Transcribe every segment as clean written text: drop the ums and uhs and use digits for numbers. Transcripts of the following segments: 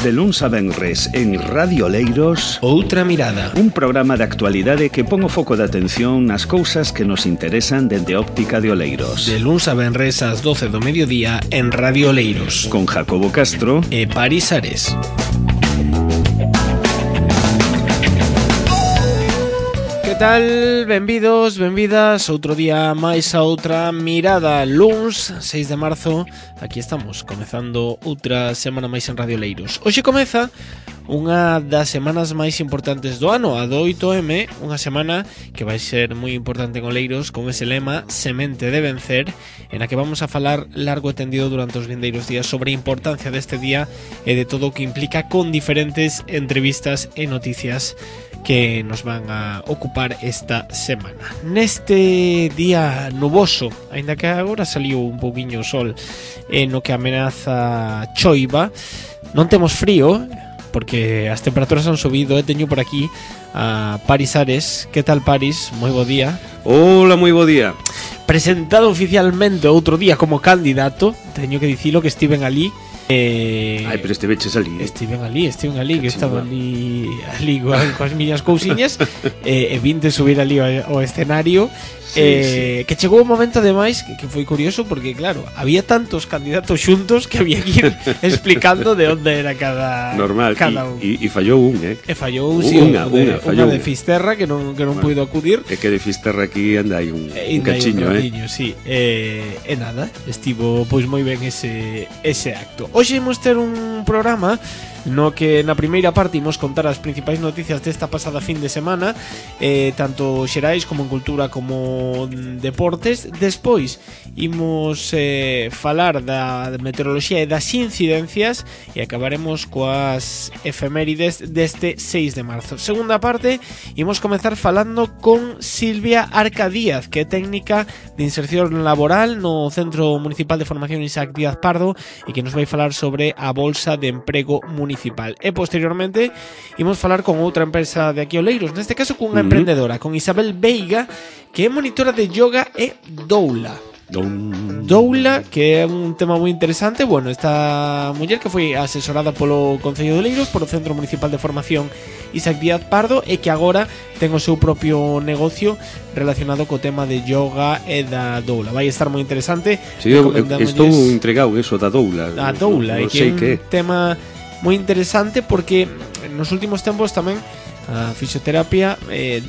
De luns a venres en Radio Oleiros, Outra Mirada, un programa de actualidade que pon o foco de atención nas cousas que nos interesan dende óptica de Oleiros. de luns a venres ás 12 do mediodía en Radio Oleiros, Con Jacobo Castro e Paris Ares. Que tal? Benvidos, benvidas outro día máis a Outra Mirada. Luns, 6 de marzo, aquí estamos, comezando outra semana máis en Radio Oleiros. Hoxe comeza unha das semanas máis importantes do ano, a do 8M, unha semana que vai ser moi importante en Oleiros con ese lema Semente de Vencer, en a que vamos a falar largo e tendido durante os vindeiros días sobre a importancia deste día e de todo o que implica, con diferentes entrevistas e noticias que nos van a ocupar esta semana. Neste día nuboso, aínda que agora saliu un pouquiño o sol, no que amenaza choiva, non temos frío, porque as temperaturas han subido. Teño por aquí a Paris Ares. Que tal, Paris? Moi bo día. Hola, moi bo día. Presentado oficialmente outro día como candidato, teño que dicilo que estiven ali. Ai, pero estiveches ali. Estiven ali, que estaba ali coas miñas cousiñas, e vinte subir ali ao escenario. Sí. Que chegou un momento ademais que foi curioso, porque claro, había tantos candidatos xuntos que había que ir explicando de onde era cada normal, cada un. E fallou un, E fallou un, sí, unha de Fisterra que non puido acudir. É que de Fisterra aquí anda aí un cachiño, sí. E nada, estivo pois moi ben ese acto. Hoxe imos ter un programa no que na primeira parte imos contar as principais noticias desta pasada fin de semana, tanto xerais como en cultura como deportes. Despois imos falar da meteoroloxía e das incidencias e acabaremos coas efemérides deste 6 de marzo. Segunda parte, imos comezar falando con Silvia Arca Díaz, que é técnica de inserción laboral no Centro Municipal de Formación Isaac Díaz Pardo e que nos vai falar sobre a Bolsa de Emprego Municipal. E posteriormente imos falar con outra empresa de aquí Oleiros, neste caso cunha emprendedora, con Isabel Veiga, que é monitora de yoga e doula. Doula, que é un tema moi interesante. Bueno, esta muller que foi asesorada polo Concello de Oleiros, polo Centro Municipal de Formación Isaac Díaz Pardo, e que agora ten o seu propio negocio relacionado co tema de yoga e da doula. Vai estar moi interesante. Sí, estou entregado eso da doula. A doula, e que é un tema moi interesante porque nos últimos tempos tamén a fisioterapia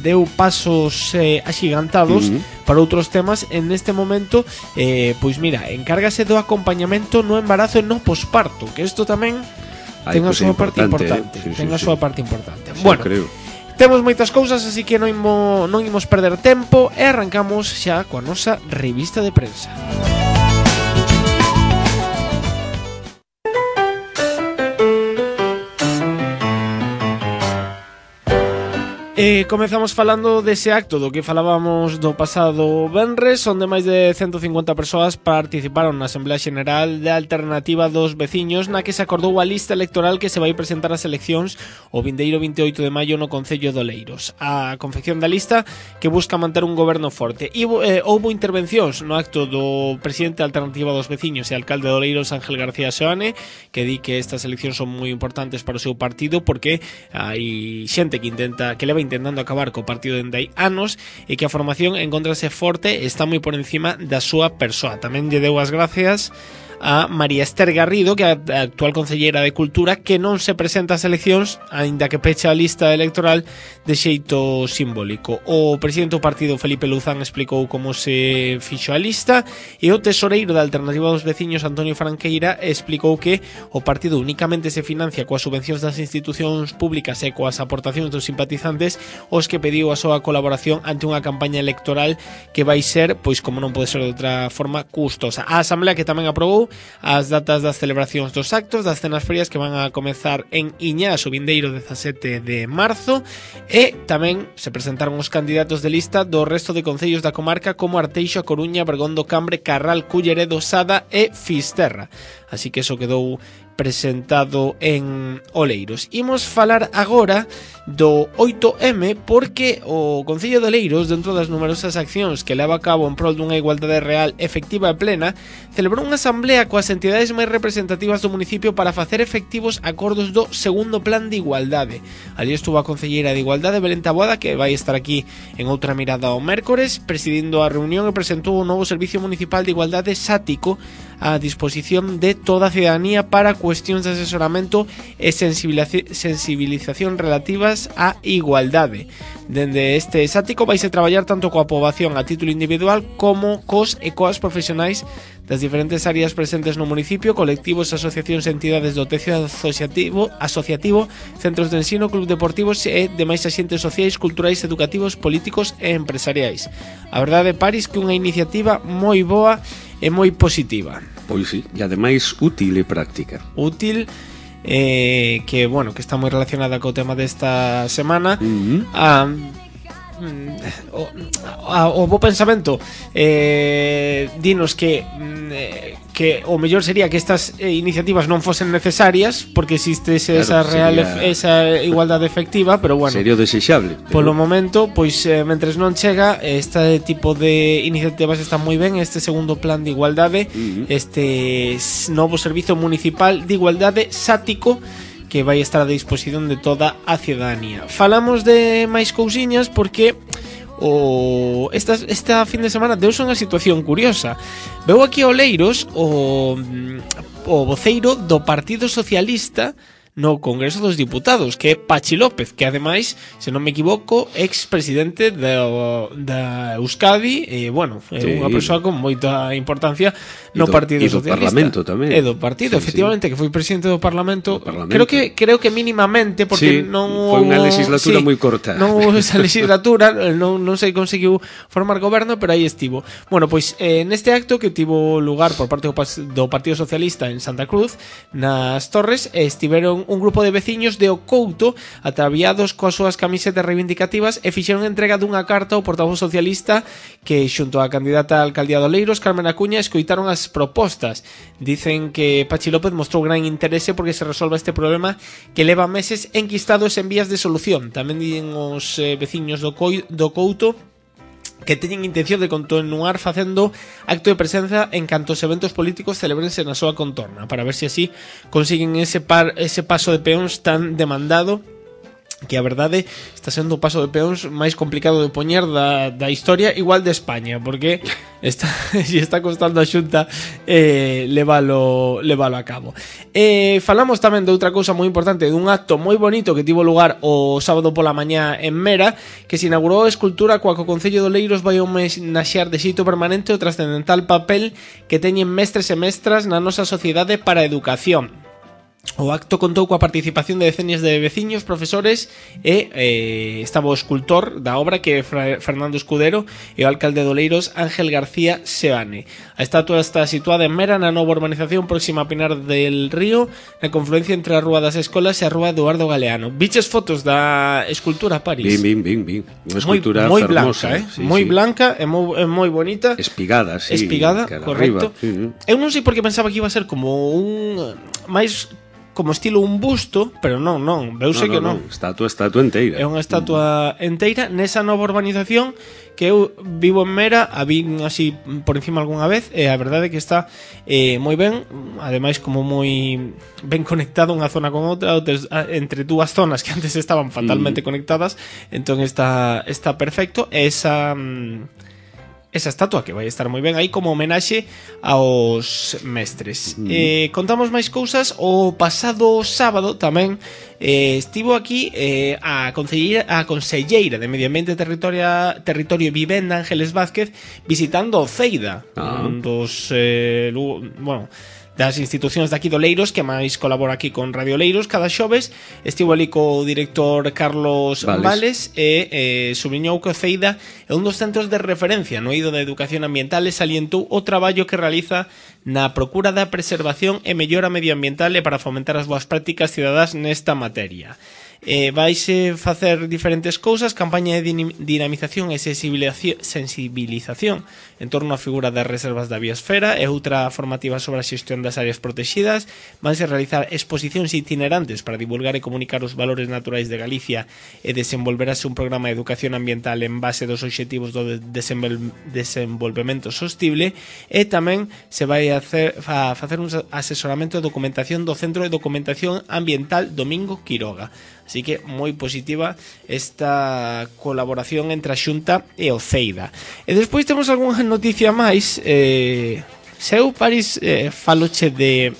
deu pasos axigantados para outros temas. En este momento, pois mira, encárgase do acompañamento no embarazo e no posparto, que isto tamén ten a súa parte importante. Ten a súa parte importante. Bueno, creo. Temos moitas cousas, así que non imos perder tempo e arrancamos xa coa nosa revista de prensa. Comezamos falando dese acto do que falábamos do pasado venres, onde máis de 150 persoas participaron na Asamblea Xeneral de Alternativa dos Veciños, na que se acordou a lista electoral que se vai presentar ás eleccións o vindeiro 28 de maio no Concello de Oleiros. A confección da lista que busca manter un goberno forte. E houbo intervencións no acto do presidente da Alternativa dos Veciños e alcalde de Oleiros, Ángel García Seoane, que di que estas eleccións son moi importantes para o seu partido porque hai xente que leva intentando acabar co partido dende hai anos e que a formación encontrase forte e está moi por encima da súa persoa. Tamén lle deu as gracias a María Esther Garrido, que é a actual concelleira de Cultura, que non se presenta ás eleccións, aínda que pecha a lista electoral de xeito simbólico. O presidente do partido, Felipe Luzán, explicou como se fixo a lista, e o tesoreiro da Alternativa dos Veciños, Antonio Franqueira, explicou que o partido únicamente se financia coas subvencións das institucións públicas e coas aportacións dos simpatizantes, os que pediu a súa colaboración ante unha campaña electoral que vai ser, pois como non pode ser de outra forma, custosa. A Asamblea que tamén aprobou as datas das celebracións dos actos das cenas frías que van a comezar en Iñás o vindeiro 17 de marzo, e tamén se presentaron os candidatos de lista do resto de concellos da comarca como Arteixo, A Coruña, Bergondo, Cambre, Carral, Culleredo, Sada e Fisterra. Así que eso quedou presentado en Oleiros. Imos falar agora do 8M porque o Concello de Oleiros, dentro das numerosas accións que leva a cabo en prol dunha igualdade real, efectiva e plena, celebrou unha asamblea coas entidades máis representativas do municipio para facer efectivos acordos do segundo plan de igualdade. Ali estuvo a concelleira de Igualdade, Belén Taboada, que vai estar aquí en outra mirada o mércores, presidindo a reunión e presentou o novo Servicio Municipal de Igualdade Sático a disposición de toda a cidadanía para cuestións de asesoramento e sensibilización relativas á igualdade. Dende este sático vaise traballar tanto coa poboación a título individual como cos e coas profesionais das diferentes áreas presentes no municipio, colectivos, asociacións e entidades do tecido asociativo, centros de ensino, club deportivos e demais axentes sociais, culturais, educativos, políticos e empresariais. A verdade, Paris, que unha iniciativa moi boa e moi positiva. Pois sí, e ademais útil e práctica. Útil, que, bueno, que está moi relacionada co tema desta semana. O bo pensamento dinos que o mellor sería que estas iniciativas non fosen necesarias porque existe esa igualdade efectiva, pero bueno, sería desexable. Polo momento, pois mentres non chega, este tipo de iniciativas están moi ben. Este segundo plan de igualdade, este novo servizo municipal de igualdade sático, que vai estar a disposición de toda a ciudadanía. Falamos de máis cousiñas porque esta fin de semana deuse unha situación curiosa. Veu aquí a Oleiros o voceiro do Partido Socialista no Congreso dos Diputados, que é Pachi López, que ademais, se non me equivoco, ex-presidente da Euskadi, e, bueno, é unha persoa con moita importancia no Partido Socialista. E do Parlamento tamén. E do Partido, efectivamente, que foi presidente do Parlamento. Creo que mínimamente, porque non foi unha legislatura moi corta. Non houve esa legislatura, non se conseguiu formar goberno, pero aí estivo. Bueno, pois, neste acto que tivo lugar por parte do Partido Socialista en Santa Cruz, nas Torres, estiveron un grupo de veciños de Ocouto ataviados coas súas camisetas reivindicativas e fixeron entrega dunha carta ao portavoz socialista que, xunto á candidata a alcaldía de Oleiros, Carmen Acuña, escoitaron as propostas. Dicen que Pachi López mostrou gran interese porque se resolva este problema que leva meses enquistados en vías de solución. Tamén dicen os veciños do Couto que teñen intención de continuar facendo acto de presenza en cantos eventos políticos celebrense na súa contorna, para ver se así consiguen ese paso de peóns tan demandado, que a verdade está sendo o paso de peóns máis complicado de poñer da historia, igual de España, porque está costando a Xunta leválo a cabo. Falamos tamén de outra cousa moi importante, dun acto moi bonito que tivo lugar o sábado pola mañá en Mera, que se inaugurou a escultura coa que o Concello de Oleiros vai homenaxear de xeito permanente o trascendental papel que teñen mestres e mestras na nosa sociedade para a educación. O acto contou coa participación de decenas de veciños, profesores e estaba o escultor da obra, que é Fernando Escudero, e o alcalde de Oleiros, Ángel García Seane. A estatua está situada en Mera, na nova urbanización próxima a Pinar del Río, na confluencia entre a Rúa das Escolas e a Rúa Eduardo Galeano. Viches fotos da escultura, París? Bin. Unha escultura moi fermosa, blanca, moi blanca e moi bonita. Espigada, sí. Espigada, correcto. Eu non sei por que pensaba que iba a ser como un máis como estilo un busto, pero non, veuse que non. Estatua enteira. É unha estatua enteira nesa nova urbanización que eu vivo en Mera, a vin así por encima algunha vez, e a verdade é que está moi ben, ademais como moi ben conectado unha zona con outra, entre dúas zonas que antes estaban fatalmente conectadas, entón está perfecto. Esa estatua que vai estar moi ben aí como homenaxe aos mestres. Contamos máis cousas. O pasado sábado tamén estivo aquí a conselleira de Medio Ambiente, Territorio e Vivenda, Ángeles Vázquez, visitando o Ceida, un dos das institucións de aquí do Oleiros, que máis colabora aquí con Radio Oleiros cada xoves. Estivo ali co director Carlos Vales e subliñou que o Ceida é un dos centros de referencia no eido da educación ambiental e salientou o traballo que realiza na procura da preservación e mellora medioambiental e para fomentar as boas prácticas cidadás nesta materia. Vaise facer diferentes cousas, campaña de dinamización e sensibilización en torno á figura das reservas da biosfera e outra formativa sobre a xestión das áreas protegidas. Vanse realizar exposicións itinerantes para divulgar e comunicar os valores naturais de Galicia e desenvolverase un programa de educación ambiental en base dos obxectivos do desenvolvemento sostible, e tamén se vai a facer un asesoramento de documentación do Centro de Documentación Ambiental Domingo Quiroga. Así que moi positiva esta colaboración entre a Xunta e o CEIDA. E despois temos algunha noticia máis. Seu, Paris, faloche de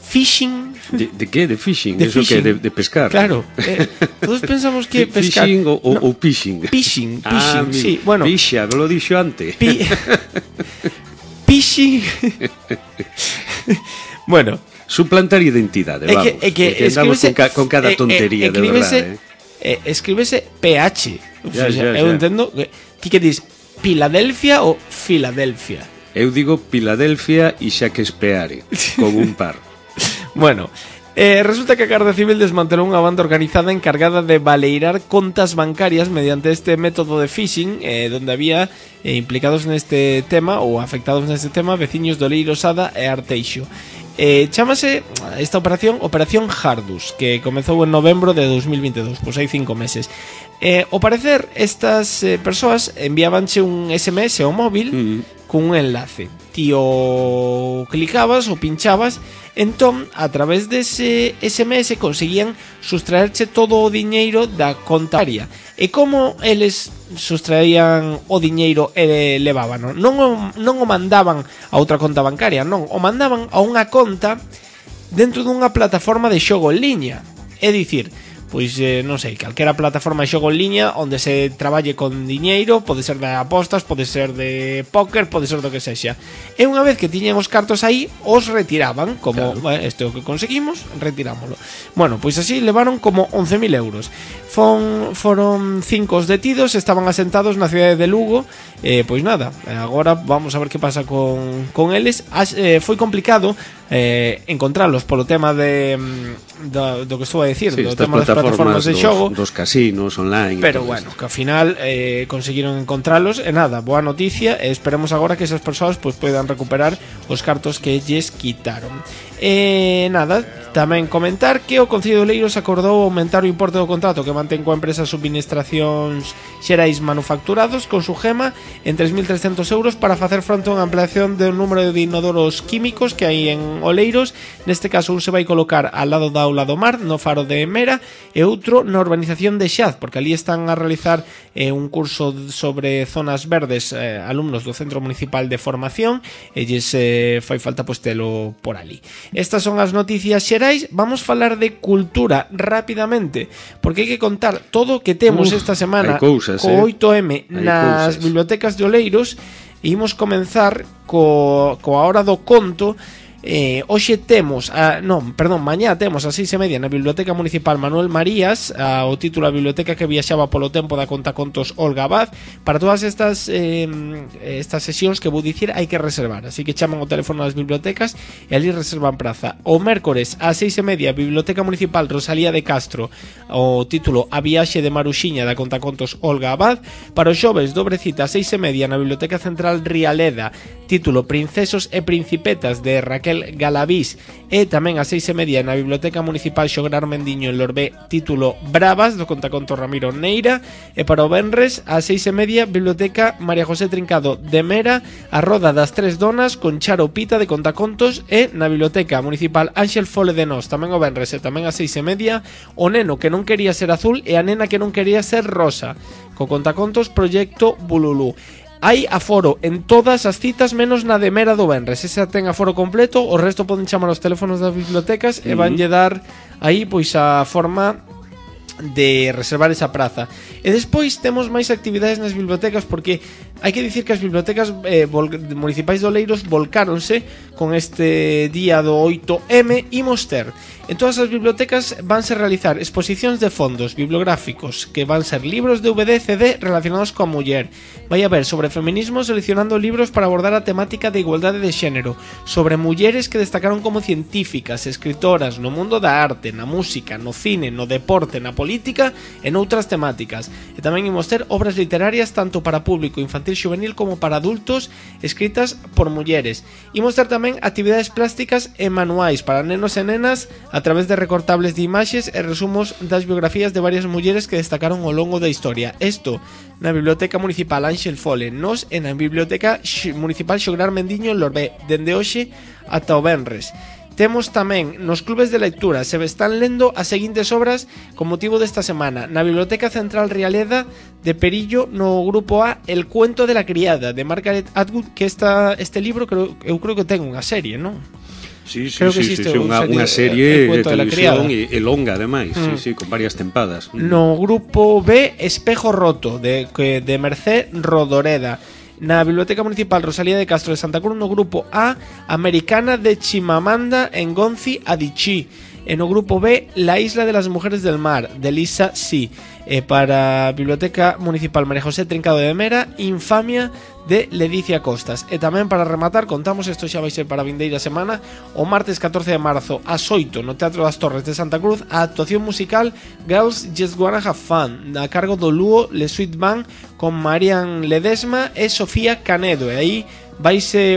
fishing. ¿De qué? ¿De fishing? De ¿Eso fishing. que? ¿De pescar? Claro. Todos pensamos que pescar... ¿Fishing o pishing? Pishing, sí. Bueno, pisha, lo dixo antes. Pishing. Bueno... Suplantar identidade, vamos. Que andamos con cada tontería, de verdade. Escríbese PH. Eu entendo ti que dis Filadelfia ou Filadelfia. Eu digo Filadelfia e Shakespeare con un par. Bueno, resulta que a Garda Civil desmantelou unha banda organizada encargada de baleirar contas bancarias mediante este método de phishing, donde había implicados neste tema ou afectados neste tema veciños de Oleiro, Sada e Arteixo. Chámase esta operación Operación Jardus, que comezou en novembro de 2022, pois hai 5 meses. Ao parecer, estas persoas enviábanche un SMS ao móvil con un enlace. Ti o clicabas ou pinchabas, entón, a través dese SMS conseguían sustraerche todo o diñeiro da conta bancaria. E como eles sustraían o diñeiro e levábano? Non o mandaban a outra conta bancaria, non, o mandaban a unha conta dentro dunha plataforma de xogo en liña. É dicir, pois non sei, calquera plataforma de xogo en liña onde se traballe con diñeiro, pode ser de apostas, pode ser de póker, pode ser do que sexa. E unha vez que tiñen os cartos aí, os retiraban, como, claro, este é o que conseguimos, retirámoslo. Bueno, pois así levaron como 11.000 euros. Foron 5 os detidos, estaban asentados na cidade de Lugo. Pois nada, agora vamos a ver que pasa con eles. Foi complicado encontralos polo tema do que estou a decir, sí, do tema das plataformas de xogo, dos casinos online. Pero bueno, que ao final conseguiron encontralos. E nada, boa noticia, e esperemos agora que esas persoas pois poidan recuperar os cartos que lles quitaron. Nada, tamén comentar que o Concello de Oleiros acordou aumentar o importe do contrato que mantén coa empresa Subministracións Xerais Manufacturados con Sugema en 3.300 euros para facer fronte a unha ampliación do número de inodoros químicos que hai en Oleiros. Neste caso un se vai colocar ao lado da Aula do Mar, no Faro de Mera, e outro na urbanización de Xaz, porque ali están a realizar un curso sobre zonas verdes, alumnos do Centro Municipal de Formación, e lles fai falta pois telo por ali. Estas son as noticias xerais. Vamos falar de cultura rapidamente, porque hai que contar todo o que temos esta semana cousas, co 8M nas bibliotecas de Oleiros. E imos comenzar coa hora do conto. Hoxe temos mañá temos a 6:30 na Biblioteca Municipal Manuel Marías o título A Biblioteca que viaxaba polo tempo da contacontos Olga Abad. Para todas estas sesións que vou dicir hai que reservar, así que chaman o teléfono das bibliotecas e ali reservan praza. O mércores a 6:30 Biblioteca Municipal Rosalía de Castro, o título A Viaxe de Maruxiña da contacontos Olga Abad. Para os xoves dobre cita a 6:30 na Biblioteca Central Rialeda, título Princesos e Principetas de Raquel Galavís, e tamén a 6:30 na Biblioteca Municipal Xograr Mendiño en Lorbé, título Bravas do contaconto Ramiro Neira. E para o venres a 6:30 Biblioteca María José Trincado de Mera, a Roda das Tres Donas con Charo Pita de contacontos. E na Biblioteca Municipal Ángel Fole de Nos tamén o venres e tamén a 6:30 O neno que non quería ser azul e a nena que non quería ser rosa, co contacontos Proxecto Bululú. Hai aforo en todas as citas menos na de Mera do venres. Esa ten aforo completo, o resto poden chamar aos teléfonos das bibliotecas e vanlle dar aí pois a forma de reservar esa praza. E despois temos máis actividades nas bibliotecas, porque Hai que dicir que as bibliotecas municipais de Oleiros volcáronse con este día do 8M. Imos ter en todas as bibliotecas vanse realizar exposicións de fondos bibliográficos que van ser libros de DVD, CD relacionados coa muller. Vai haber sobre feminismo seleccionando libros para abordar a temática de igualdade de xénero, sobre mulleres que destacaron como científicas, escritoras no mundo da arte, na música, no cine, no deporte, na política e noutras temáticas. E tamén imos ter obras literarias tanto para público infantil juvenil como para adultos escritas por mulleres. Imos ter tamén actividades plásticas e manuais para nenos e nenas a través de recortables de imaxes e resumos das biografías de varias mulleres que destacaron ao longo da historia. Isto na Biblioteca Municipal Ángel Fole, nos e na Biblioteca Municipal Xograr Mendiño en Lorbé, dende hoxe ata o venres. Temos tamén nos clubes de lectura, se están lendo as seguintes obras con motivo desta semana. Na Biblioteca Central Rialeda de Perillo, no grupo A, El cuento de la criada, de Margaret Atwood, que este libro eu creo que ten unha serie, non? Sí, unha serie de televisión e longa, ademais, con varias tempadas. No grupo B, Espejo roto, de Mercé Rodoreda. Na Biblioteca Municipal Rosalía de Castro de Santa Cruz, no grupo A, Americana de Chimamanda Ngozi Adichie. E no grupo B, La isla de las mujeres del mar, de Lisa Si. Para a Biblioteca Municipal María José Trincado de Mera, Infamia, de Ledicia Costas. E tamén para rematar, contamos, isto xa vai ser para a vindeira semana, o martes 14 de marzo ás 8 no Teatro das Torres de Santa Cruz, a actuación musical Girls Just Wanna Have Fun, a cargo do Luo Le Sweet Band, con Marian Ledesma e Sofía Canedo. E aí vaise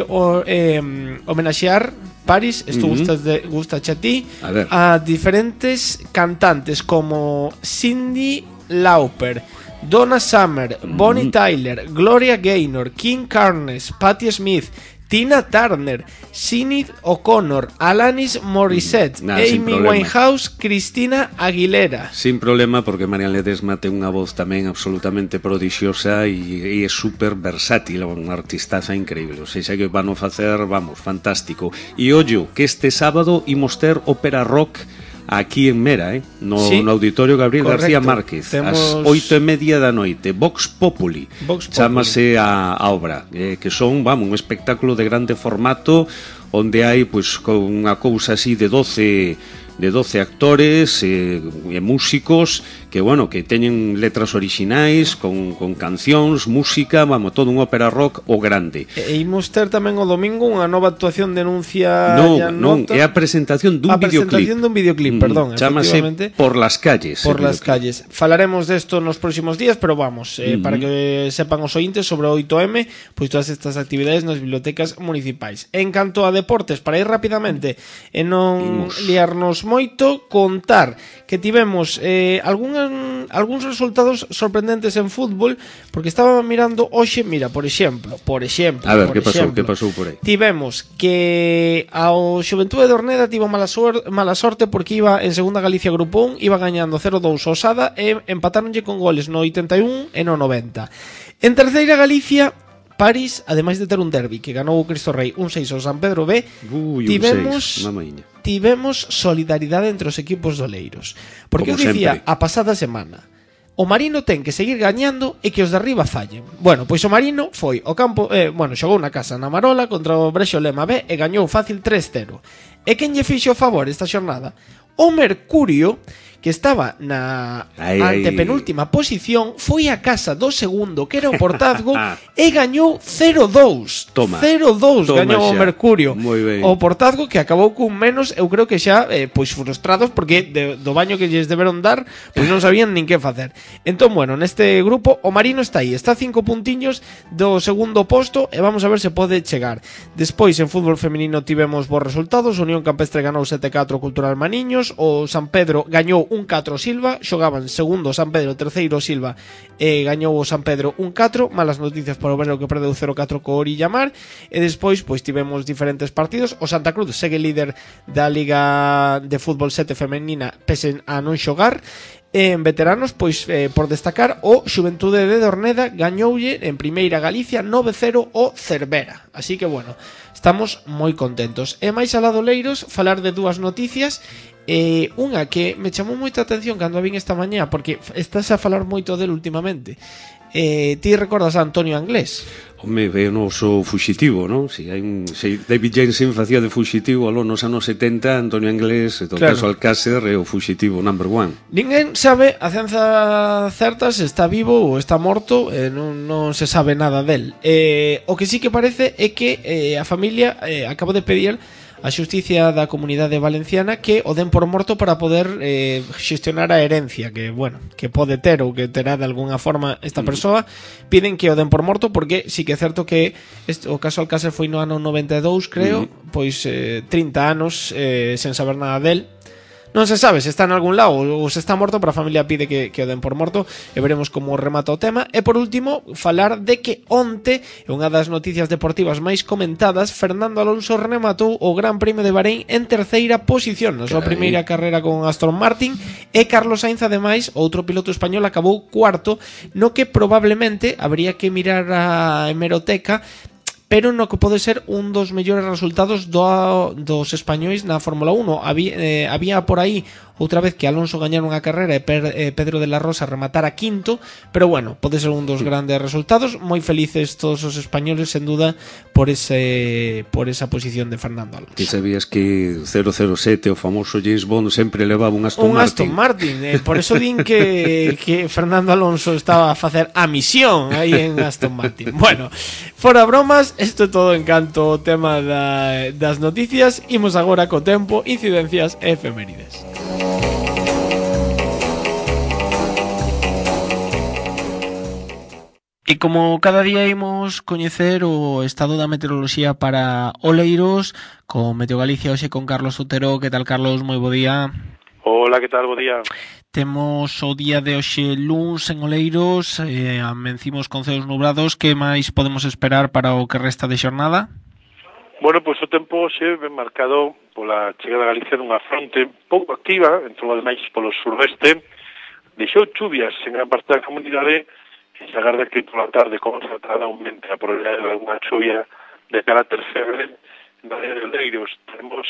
homenaxear, Paris, isto gusta a ti, a diferentes cantantes como Cyndi Lauper, Donna Summer, Bonnie Tyler, Gloria Gaynor, Kim Carnes, Patti Smith, Tina Turner, Sinead O'Connor, Alanis Morissette, Amy Winehouse, Cristina Aguilera. Sin problema, porque Marian Ledesma ten unha voz tamén absolutamente prodigiosa e é super versátil, unha artistaza increíble. O sea, que van a facer, vamos, fantástico. E ollo, que este sábado imos ter ópera rock aquí en Mera, no Auditorio Gabriel García Márquez, ás 8:30 da noite. Vox Populi, chámase a obra, que son, vamos, un espectáculo de grande formato, onde hai, pois, con unha cousa así de 12 actores e músicos que, bueno, que teñen letras orixinais con cancións, música, vamos, todo un ópera rock o grande. E imos ter tamén o domingo unha nova actuación de Nuncia. Non, é a presentación dun videoclip, perdón, chámase Por las calles. Por las calles. Falaremos desto nos próximos días, pero vamos, para que sepan os ointes sobre o 8M, pois todas estas actividades nas bibliotecas municipais. En canto a deportes, para ir rapidamente e non liarnos moito, contar que tivemos algúns resultados sorprendentes en fútbol, porque estaba mirando hoxe, mira, por exemplo, a ver, que pasou por aí? Tivemos que ao Xuventude de Orneda tivo mala sorte porque iba en segunda Galicia Grupo 1, iba gañando 0-2 ao Sada e empatáronlle con goles no 81 e no 90. En terceira Galicia, París, ademais de ter un derbi que ganou o Cristo Rei 1-6 ao San Pedro B, tivemos solidaridade entre os equipos doleiros. Porque eu dicía a pasada semana, o Marino ten que seguir gañando e que os de arriba fallen. Bueno, pois o Marino foi ao campo, xogou na casa na Marola contra o Brexo Lema B e gañou fácil 3-0. E quen lle fixo o favor esta xornada? O Mercurio, que estaba na antepenúltima posición, foi a casa do segundo, que era o Portazgo, e gañou 0-2. 0-2 gañou o Mercurio. O Portazgo, que acabou cun menos, eu creo que xa pois frustrados, porque do baño que lles deberon dar, pois non sabían nin que facer. Entón, bueno, neste grupo o Marino está aí, está 5 puntiños do segundo posto, e vamos a ver se pode chegar. Despois, en fútbol femenino tivemos bons resultados. O Unión Campestre ganou 7-4 Cultural Maniños, o San Pedro gañou 1-4 Silva, xogaban segundo San Pedro, terceiro Silva, e gañou o San Pedro 1-4. Malas noticias para o Obrero, que perdeu 0-4 co Orilla Mar. E despois pois tivemos diferentes partidos. O Santa Cruz segue líder da Liga de Fútbol 7 femenina pese a non xogar. En veteranos, pois por destacar, o Xuventude de Orneda gañoulle en primeira Galicia 9-0 o Cervera. Así que, bueno, estamos moi contentos. E máis alá do Leiros, falar de dúas noticias. Unha que me chamou moita atención cando a vin esta mañá, porque estás a falar moito del últimamente. Ti recordas a Antonio Anglés? Home, ve o noso fuxitivo, non? Se David Jensen facía de fuxitivo aló nos anos 70, Antonio Anglés, do caso Alcácer, é o fuxitivo number one. Ninguén sabe a ciencia certa se está vivo ou está morto, non se sabe nada del. O que sí que parece é que a familia acaba de pedir a xusticia da comunidade valenciana que o den por morto para poder xestionar a herencia que, bueno, que pode ter ou que terá de alguna forma esta persoa. Piden que o den por morto porque sí que é certo que o caso Alcácer foi no ano 92, creo, pois 30 anos sen saber nada del. Non se sabe se está en algún lado ou se está morto, pero a familia pide que o den por morto e veremos como remata o tema. E por último, falar de que onte, unha das noticias deportivas máis comentadas, Fernando Alonso rematou o Gran Premio de Bahrein en terceira posición na súa primeira carreira con Aston Martin, e Carlos Sainz, ademais, outro piloto español, acabou cuarto, no que probablemente habría que mirar a hemeroteca, pero no que pode ser un dos mellores resultados dos españois na Fórmula 1. Había por aí outra vez que Alonso gañara unha carreira e Pedro de la Rosa rematara quinto, pero bueno, pode ser un dos grandes resultados. Moi felices todos os españoles, sen duda, por esa posición de Fernando Alonso. Ti sabías que 007, o famoso James Bond, sempre levaba un Aston Martin? Por eso din que Fernando Alonso estaba a facer a misión aí en Aston Martin. Bueno, fora bromas, isto é todo en canto o tema das noticias. Imos agora co tempo, incidencias e efemérides. E como cada día imos coñecer o estado da meteoroloxía para Oleiros con Meteo Galicia, hoxe con Carlos Otero. Que tal, Carlos? Moi bo día. Hola, que tal? Bo día. Temos o día de hoxe luns en Oleiros, amencimos con ceos nubrados. Que máis podemos esperar para o que resta de xornada? Bueno, pois o tempo hoxe ben marcado pola chegada a Galicia dunha fronte pouco activa, en todo máis polo suroeste. Deixou chuvias en gran parte da comunidade. Se agarda que pola tarde concentrada aumente a probabilidade de alguna chuvia de carácter febre na área de Oleiros. Temos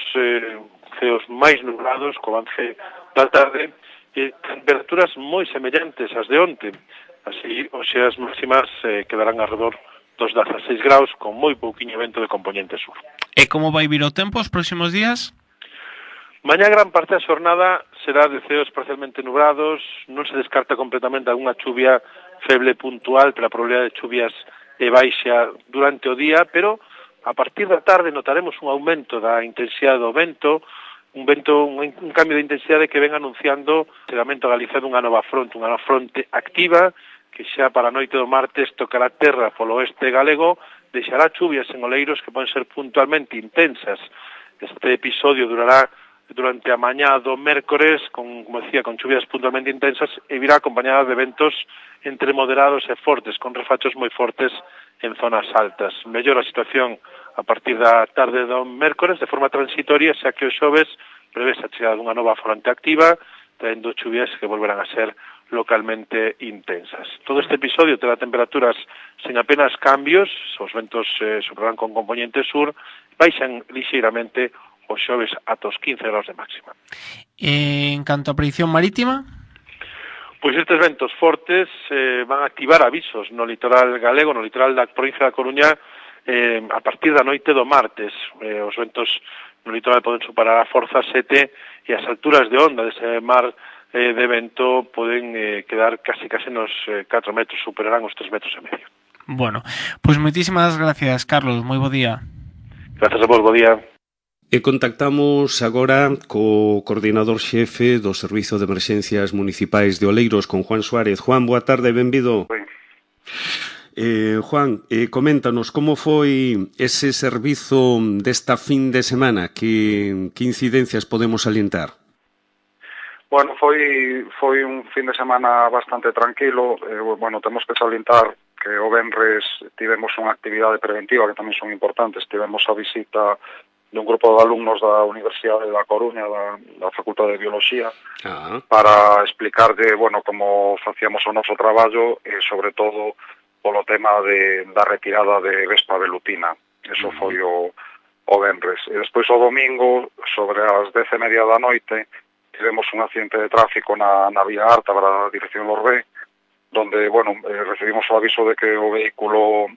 ceos máis nublados co avance da tarde e temperaturas moi semellantes ás de onte. Así, hoxe as máximas quedarán alrededor dos 16 graus con moi pouquiño vento de componente sur. E como vai vir o tempo os próximos días? Mañá gran parte da xornada será de ceos parcialmente nublados, non se descarta completamente algunha chuvia feble puntual, pero a probabilidade de chuvias é baixa durante o día, pero a partir da tarde notaremos un aumento da intensidade do vento, un cambio de intensidade que ven anunciando o chegamento a Galicia dunha nova fronte activa, que xa para a noite do martes tocará terra polo oeste galego, deixará chuvias en Oleiros que poden ser puntualmente intensas. Este episodio durará durante a mañá do mércores, como decía, con chuvias puntualmente intensas, e virá acompañada de ventos entre moderados e fortes, con refachos moi fortes en zonas altas. Mellora a situación a partir da tarde do mércores de forma transitoria, xa que o xoves prevés a chegada dunha nova fronte activa, traendo chuvias que volverán a ser localmente intensas. Todo este episodio terá temperaturas sen apenas cambios, os ventos soprarán con componente sur, baixan lixeiramente os xoves ata os 15 graus de máxima. En canto a predicción marítima? Pois estes ventos fortes van a activar avisos no litoral galego, no litoral da provincia da Coruña, a partir da noite do martes. Os ventos no litoral poden superar a forza 7 e as alturas de onda dese mar de vento poden quedar casi nos 4 metros, superarán os 3 metros e medio. Bueno, pois moitísimas gracias, Carlos, moi bo día. Gracias a vos, bo día. E contactamos agora co coordinador xefe do Servizo de Emerxencias Municipais de Oleiros, con Juan Suárez. Juan, boa tarde, benvido. Juan, coméntanos como foi ese servizo desta fin de semana, que incidencias podemos salientar? Bueno, foi un fin de semana bastante tranquilo. Bueno, temos que salientar que o venres tivemos unha actividade preventiva que tamén son importantes. Tivemos a visita dun grupo de alumnos da Universidade da Coruña, da Facultade de Biología, para explicarlle, bueno, como facíamos o noso traballo e, sobre todo, polo tema da retirada de vespa velutina. Eso foi o venres. E despois o domingo, sobre as 10:30 da noite, tivemos un accidente de tráfico na vía alta para a dirección Lorbé, donde, bueno, recibimos o aviso de que o vehículo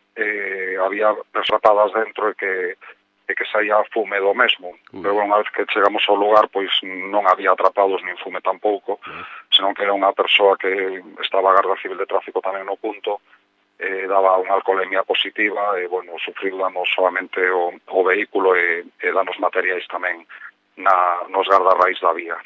había atrapadas dentro e que saía fume do mesmo. Pero unha vez que chegamos ao lugar, pois non había atrapados nin fume tampouco, senón que era unha persoa que estaba a Garda Civil de Tráfico tamén no punto, daba unha alcoholemia positiva e, bueno, sufriu danos solamente o vehículo e danos materiais tamén nos gardarrais da vía.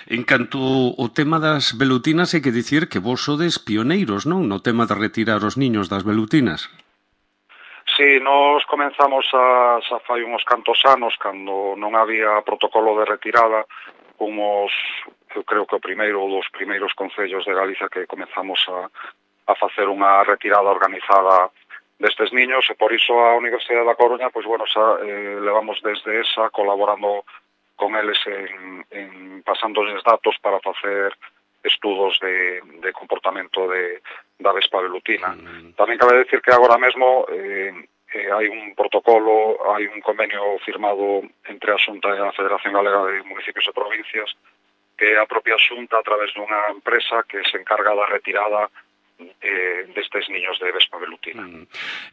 En canto ao tema das velutinas, hai que dicir que vos sodes pioneiros, non? No tema de retirar os niños das velutinas. Sí, nos comenzamos xa fai uns cantos anos, cando non había protocolo de retirada, eu creo que o primeiro ou dos primeiros concellos de Galicia que comenzamos a facer unha retirada organizada destes niños, e por iso a Universidade da Coruña, pois, bueno, xa levamos desde esa colaborando con eles en pasándoles datos para facer estudos de comportamento da vespa velutina. Tamén cabe decir que agora mesmo hai un protocolo, hai un convenio firmado entre a Xunta e a Federación Galega de Municipios e Provincias, que a propia Xunta, a través dunha empresa que se encarga da retirada destes niños de vespa velutina.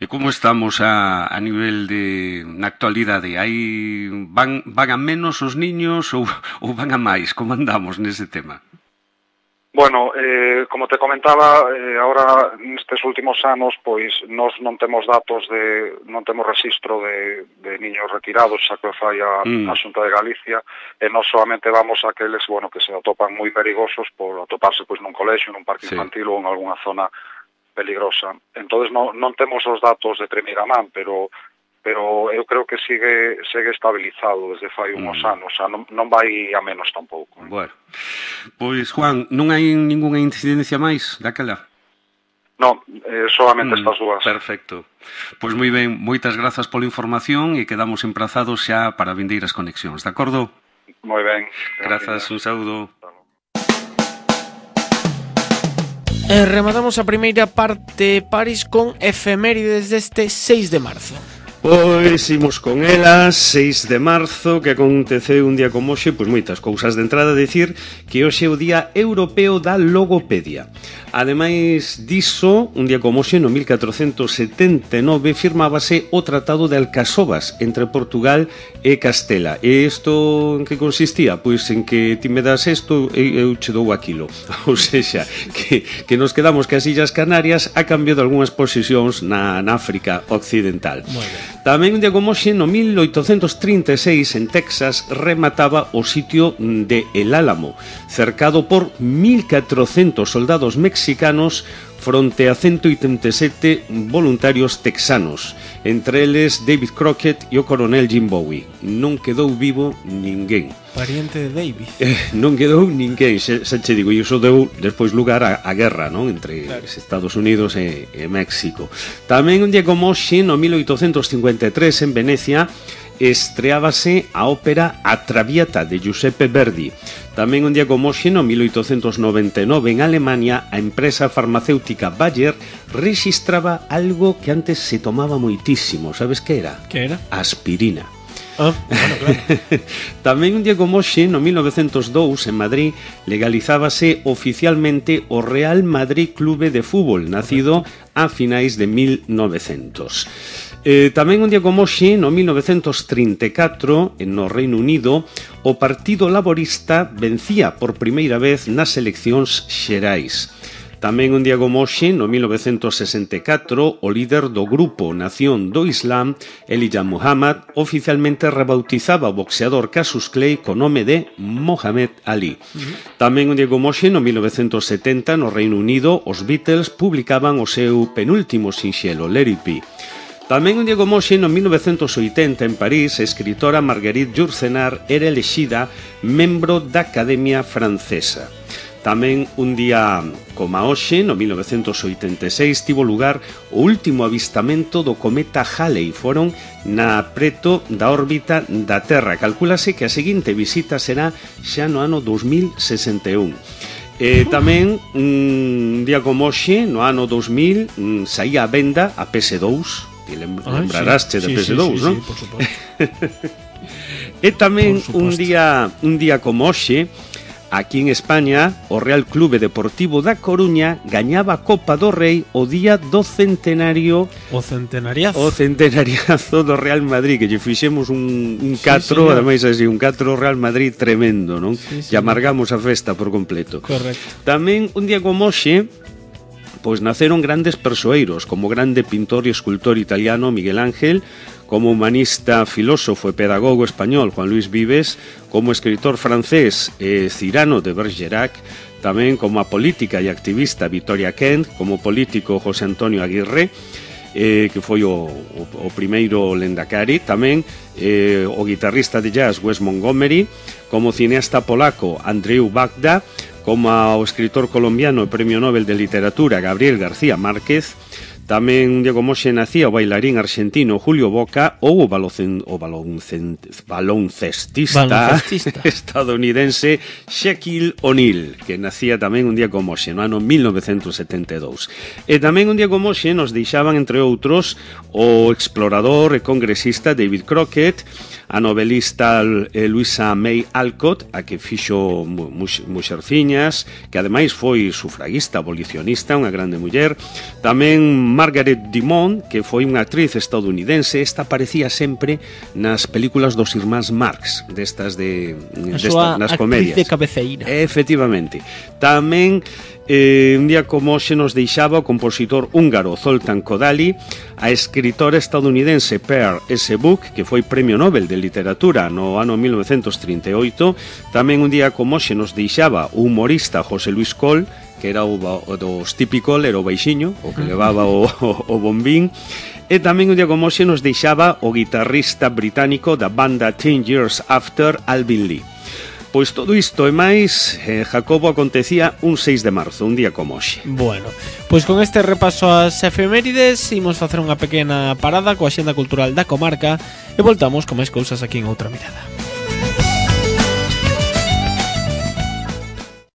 E como estamos a nivel na actualidade? Van a menos os niños ou van a máis? Como andamos nese tema? Bueno, como te comentaba, ahora nestes últimos anos, pois nós non temos datos non temos registro de niños retirados, xa que fai a Xunta de Galicia, e nós solamente vamos a aqueles, bueno, que se atopan moi perigosos por atoparse pois nun colexio, nun parque infantil ou en algunha zona peligrosa. Entonces non temos os datos de primeira man, pero eu creo que segue estabilizado desde fai uns anos, xa non vai a menos tampouco. Bueno, pois, Juan, non hai ningunha incidencia máis daquela? Non, solamente estas dúas. Perfecto. Pois moi ben, moitas grazas pola información e quedamos emprazados xa para vindeiras conexións, de acordo? Moi ben. Grazas, un saúdo. Rematamos a primeira parte, París, con efemérides deste 6 de marzo. Pois imos con elas, 6 de marzo, que aconteceu un día como hoxe, pois moitas cousas. De entrada dicir que hoxe é o Día Europeo da Logopedia. Ademais diso, un día como hoxe, no 1479, firmábase o Tratado de Alcasovas entre Portugal e Castela. E isto en que consistía? Pois en que ti me das isto e eu che dou aquilo. Ou seja, que nos quedamos que as Illas Canarias a cambio de algunhas posesións na África Occidental. Moi ben. Tamén un día como hoxe, no 1836, en Texas, remataba o sitio de El Álamo, cercado por 1.400 soldados mexicanos fronte a 187 voluntarios texanos, entre eles David Crockett e o coronel Jim Bowie. Non quedou vivo ninguén. Pariente de David. Non quedou ninguén, xa che digo, e iso deu despois lugar a guerra, non, entre Estados Unidos e México. Tamén un día como hoxe, no 1853, en Venecia, estreábase a ópera A Traviata de Giuseppe Verdi. Tamén un día como hoxe, no 1899, en Alemania, a empresa farmacéutica Bayer rexistraba algo que antes se tomaba moitísimo. Sabes que era? Que era? Aspirina. Bueno, claro. Tamén un día como hoxe, no 1902, en Madrid, legalizábase oficialmente o Real Madrid Clube de Fútbol, nacido a finais de 1900. Tamén un día como hoxe, no 1934, no Reino Unido, o Partido Laborista vencía por primeira vez nas eleccións xerais. Tamén un día como hoxe, no 1964, o líder do grupo Nación do Islam, Elijah Muhammad, oficialmente rebautizaba o boxeador Cassius Clay co nome de Muhammad Ali. Tamén un día como hoxe, no 1970, no Reino Unido, os Beatles publicaban o seu penúltimo sinxelo, Let It Be. Tamén un día como hoxe, no 1980, en París, a escritora Marguerite Yourcenar era elexida membro da Academia Francesa. Tamén un día como hoxe, no 1986, tivo lugar o último avistamento do cometa Halley. Foron preto da órbita da Terra. Calcúlase que a seguinte visita será xa no ano 2061. Tamén un día como hoxe, no ano 2000, saía a venda a PS2. Te lembraraste de PS2, non? Sí, por suposto. E tamén un día como hoxe, aquí en España, o Real Clube Deportivo da Coruña gañaba a Copa do Rei o día do centenario. O centenariazo. O centenariazo do Real Madrid, que lle fixemos un catro, ademais así, un catro Real Madrid tremendo, non? Sí, e amargamos a festa por completo. Correcto. Tamén un día como hoxe, pois naceron grandes persoeiros, como o grande pintor e escultor italiano Miguel Ángel, como humanista, filósofo e pedagogo español Juan Luis Vives, como escritor francés Cyrano de Bergerac, tamén como a política e activista Victoria Kent, como político José Antonio Aguirre, que foi o primeiro Lendakari, tamén o guitarrista de jazz Wes Montgomery, como cineasta polaco Andrzej Wajda, como o escritor colombiano e premio Nobel de Literatura Gabriel García Márquez. Tamén un día como hoxe nacía o bailarín argentino Julio Boca ou o baloncestista estadounidense Shaquille O'Neal, que nacía tamén un día como hoxe, no ano 1972. E tamén un día como hoxe nos deixaban, entre outros, o explorador e congresista David Crockett, a novelista Louisa May Alcott, a que fixo Muxerciñas, que ademais foi sufraguista, abolicionista, unha grande muller. Tamén Margaret Dumont, que foi unha actriz estadounidense. Esta aparecía sempre nas películas dos irmáns Marx, destas nas comedias. De cabeceira. Efectivamente. Tamén un día como hoxe nos deixaba o compositor húngaro Zoltán Kodály, a escritora estadounidense Pearl S. Buck, que foi premio Nobel de Literatura no ano 1938. Tamén un día como hoxe nos deixaba o humorista José Luis Coll, que era o do Stevie Coll, era o baixiño, o que levaba o bombín. E tamén un día como hoxe nos deixaba o guitarrista británico da banda 10 Years After, Alvin Lee. Pois todo isto e máis, Jacobo, acontecía un 6 de marzo, un día como hoxe. Bueno, pois con este repaso ás efemérides imos facer unha pequena parada coa axenda cultural da comarca e voltamos con máis cousas aquí en Outra Mirada.